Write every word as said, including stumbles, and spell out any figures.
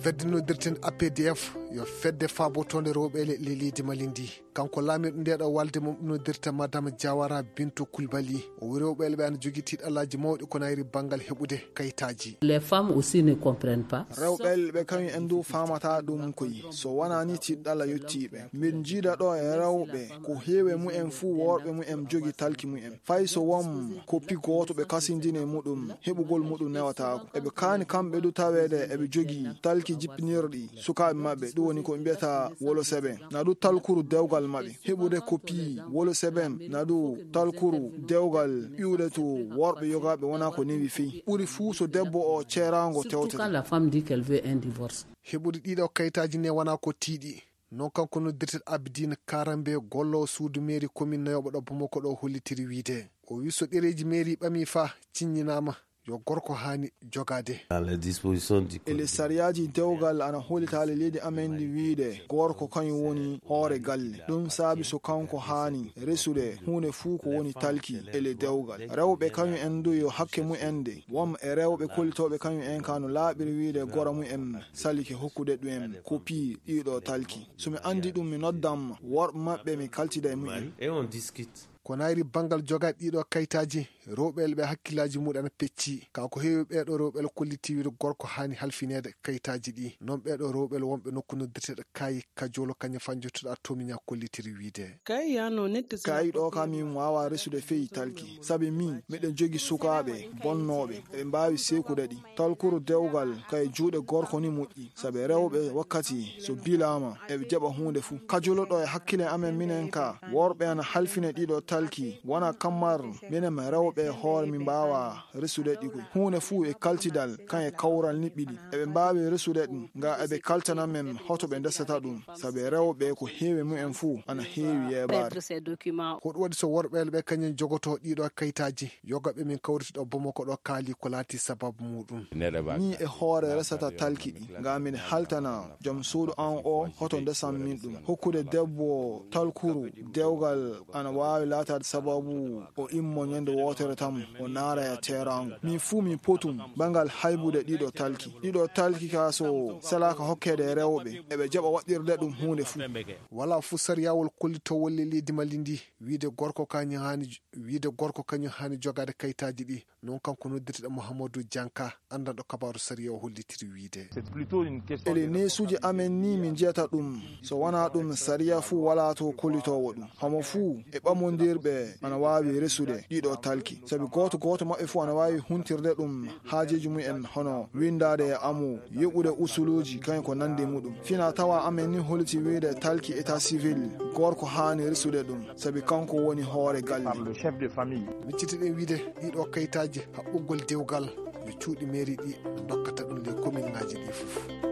Fedde noddirten A P D F yo fedde faabotoonde rewɓe le-, le-, leydi Mali ndi. Kanko laamirɗo nde ɗo walde mum noddirta Madame Diawara Bintou Coulibaly. O wi rewɓe le ɓe ana jogii tiiɗalaaji mawɗi ko nayri banngal heɓude kayitaaji. Les femmes aussi ne comprennent pas. Rewɓe le ɓe kañum en du faamata ɗum koyi. So wonaa ni tiiɗalla yottii ɓe. Min njiida ɗo e rewɓe ko heewi e mumen fuu worɓe mumen jogii talki mumen. Fay so won koppi gooto ɓe kasindini e muɗum, heɓugol muɗum newataako. Eɓe kaani kamɓe du taweede eɓe jogii talki jippinirɗi sukaaɓe maɓɓe, ɗum woni ko ɓe mbiyata wolo seben. Na du talkuru dewgal maɓɓe. Heɓude koppi wolo seben, na du talkuru dewgal iwde to worɓe yogaaɓe wonaa ko newi fey. Ɓuri fuu so debbo o ceeraango tewtete. Surtout quand la femme dit qu'elle veut un divorce. Heɓude ɗiɗo kayitaaji ne wonaa ko tiiɗi. Non kanko noddirteɗo Abidine Karambe, golloowo suudu mairie commune nayooɓo ɗo Bamako ɗo hollitiri wiide. O wi so ɗereeji mairie ɓami fa ciññinaama, yo gorko haani jogaade. Dans les dispositions du code. E les sariyaaji dewgal ana hollitaali leydi amen ndi wiide gorko kañum woni hoore galle. Ɗum saabi so kanko haani resude huunde fuu ko woni talki e le dewgal. Rewɓe kañum en du yo hakke mumen de. Won e rewɓe kollitooɓe kañum en ka no laaɓiri wiide gora mumen salike hokkude ɗum en koppi ɗiɗo talki. So mi anndi ɗum, mi noddan ma. Worɓe maɓɓe, mi kaltida e mumen. Et on discute. Ko nayri banngal jogaade ɗiɗo kayitaaji, rewɓe le ɓe hakkillaaji muɗum ana pecci. Ka ko heewi ɓeeɗo rewɓe le kolliti wiide gorko haani halfineede kayitaaji ɗi. Non ɓeeɗo rewɓe le wonɓe nokku noddirteɗo Kaayi Kajolo kañum fanjotoɗa Tomiña kollitiri wiide. Kaayi ɗo ka min waawa resude fey talki. Sabi min, miɗen jogi sukaaɓe bonnooɓe, eɓe mbaawi sekude ɗi. Talkuru dewgal kay juuɗe gorko ni moƴƴi, sabi rewɓe wakkati so bilaama, eɓe jaɓa huunde fuu. Kajoloɗo e hakkile amen minen ka, worɓe ana halfine ɗiɗo talki, wona kammar minen rewɓe hoore mi mbaawa resude ɗi koy. Huunde fuu e kaltidal, kan e kawral niɓɓiɗi. Eɓe mbaawi resude ɗum, nga eɓe kaltana men hoto ɓe ndesata ɗum, sabi rewɓe ko heewi mumen fuu ana heewi yeebaade. Ko ɗum waɗi so worɓe le ɓe kañum jogoto ɗiɗo kayitaaji, yoga ɓe min kawriti ɗo Bamako ɗo kaali ko laati sababu muɗum. Ni e hoore resata talki ɗi, nga min haltana joom suudu an o hoto ndesan min ɗum. Hokkude debbo talkuru dewgal ana waawi laataade sababu o immo ñande wootere tan o naara e teeraango. Min fuu min potum bangal haybude ɗiɗo talki. Ɗiɗo talki ka so salaaka hokkeede e rewɓe, eɓe jaɓa waɗɗirde ɗum huunde fuu. Wala fuu sariyawol kollitowol le leydi Mali ndi, wiide gorko kañum haani, wiide gorko kañum haani jogaade kayitaaji ɗi. Non kanko noddirteɗo Mouhamadou Dianka, anndanɗo kabaaru sariya o hollitiri wiide. Ele neesuuji amen ni min njiyata ɗum. So wonaa ɗum, sariya fuu walaa to kollitoowo ɗum. Homo fuu e ɓamondirɓe ana waawi resude ɗiɗo talki. Sabi gooto gooto maɓɓe fuu ana waawi huntirde ɗum haajeeji mumen hono winndaade e amu, yoɓude usuluuji kañum ko nanndi muɗum. Fina tawa amen ni holliti wiide talki état civil, gorko haani resude ɗum, sabi kanko woni hoore galle. Miccitiɗen wiide ɗiɗo kayitaaji haɓɓugol dewgal yo cuuɗi mairie ɗi dokkata ɗum les commune ngaji ɗi fof.